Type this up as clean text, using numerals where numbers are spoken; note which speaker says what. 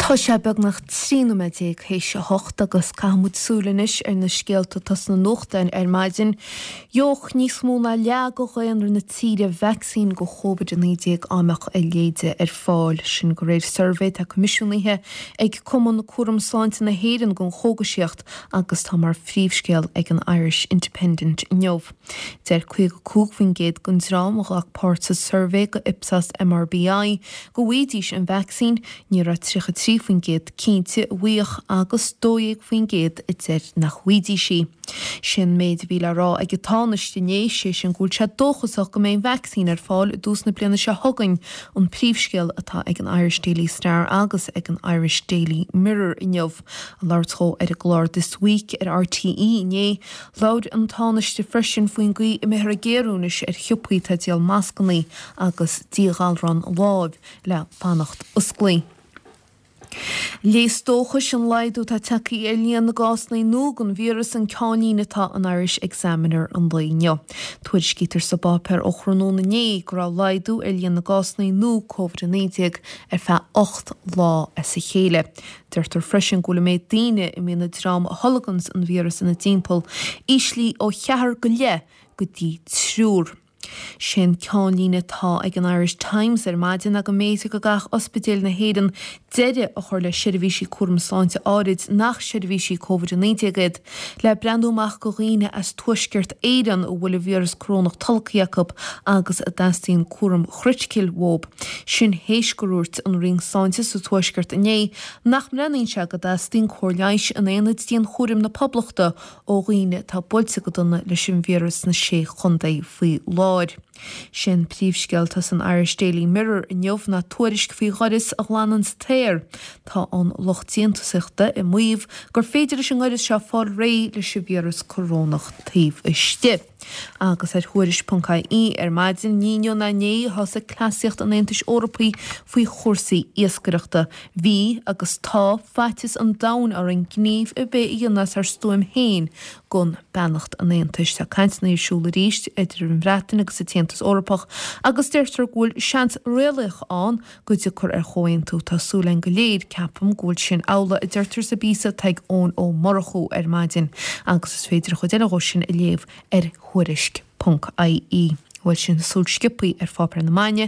Speaker 1: Tá sé beagnach 13 nóiméad théis a hocht agus caithfidh muid súil anois ar na scéalta atá sna nuachtáin ar maidin. Gheobhadh níos mó ná leath de dhaonra na tíre vacsaín do Covid-19 dá mbeadh a leithéide ar fáil. Sin de réir suirbhé atá coimisiúnaithe ag Cumann Cúram Sláinte na hÉireann don Chógaisíocht agus tá mar phríomhscéal ag an Irish Independent inniu. Deir 55% den dream a ghlac páirt sa suirbhé do Ipsos MRBI go bhfaighidís an vacsaín, ní raibh 33% cinnte an bhfaigheadh agus 12% a deir nach bhfaighidís í. Sé an méid a bhí le rá ag an Tánaiste inné, sé sin go bhfuil sé dóchasach go mbeidh an vacsaín ar fáil i dtús na bliana seo chugainn, an príomhscéal atá ag an Irish Daily Star agus ag an Irish Daily Mirror inniu. Ag labhairt dhó ar an gclár This Week ar RTÉ inné, Labhair an Tánaiste freisin faoin gcaoi a mbeifear ag géarú anois ar shiopaí atá ag díol mascannaí agus díghalrán lámh le fanacht osclaí. Léas dóchais an laghdú atá tagtha ar líon na gcásanna nua den víreas an ceannlíne atá in Irish Examiner an lae inniu. Tuairiscítear sa bpáipéar ó thráthnóna inné go raibh laghdú ar líon na gcásanna nua Covid-19 ar feadh 8 lá as a chéile. Deirtear freisin go bhfuil an méid daoine a mbíonn an dream a tholganns an víreas ina dtimpeall íslithe ó cheathrar go leith go dtí triúr. Sé an ceannlíne atá ag an Irish Times ar maidin ná go mb'fhéidir go gcaithfeadh ospidéil na hÉireann deireadh a chur le seirbhísí cúram sláinte áirid nach seirbhísí Covid-19 iad le breathnú amach go dhaoine as Tuaisceart Éireann a bhfuil an víreas corónach tolgtha acu agus a dteastaíonn cúram chriticiúil uathu. Sin théis gur dhúirt an Roinn Sláinte sa Tuaisceart inné nach mbreathnaíonn sé go dteastaíonn cóir leighis in aonaid dianchúraim na Poblachta ó dhaoine atá buailte go dona leis an víreas sna Sé Chontae faoi láthair. Sé an príomhscéal atá san Irish Daily Mirror inniu ná tuairisc faoi ghaireas a ghlanann an t-aer. Tá an lucht déantúsaíochta ag maíomh gur féidir leis an ngaireas seo fáil réidh leis an víreas corónach taobh istigh. Agus ar Thuairisc.ie ar maidin, ní inniu ná inné a thosaigh cleasaíocht an Aontais Eorpaigh faoi chúrsaí iascaireachta. Bhí, agus tá, faitíos an domhain orainn gníomh ar bith a dhéanamh as ár stuaim féin gan beannacht an Aontais. Tá cainteanna ar siúl arís idir an Bhreatain agus an tAontas Eorpach agus deirtear go bhfuil seans réalaíoch ann go dtiocfar ar chomhaontú. Tá súil againn go léir, ceapaim, go bhfuil sin amhlaidh, a deirtear sa bpíosa atá ag Eoin Ó Murchú ar maidin agus is féidir an chuid eile dhó sin a léamh ar Thuairisc ponc IE. Bhuel sin súil sciobthaí ar pháipéir na maidine.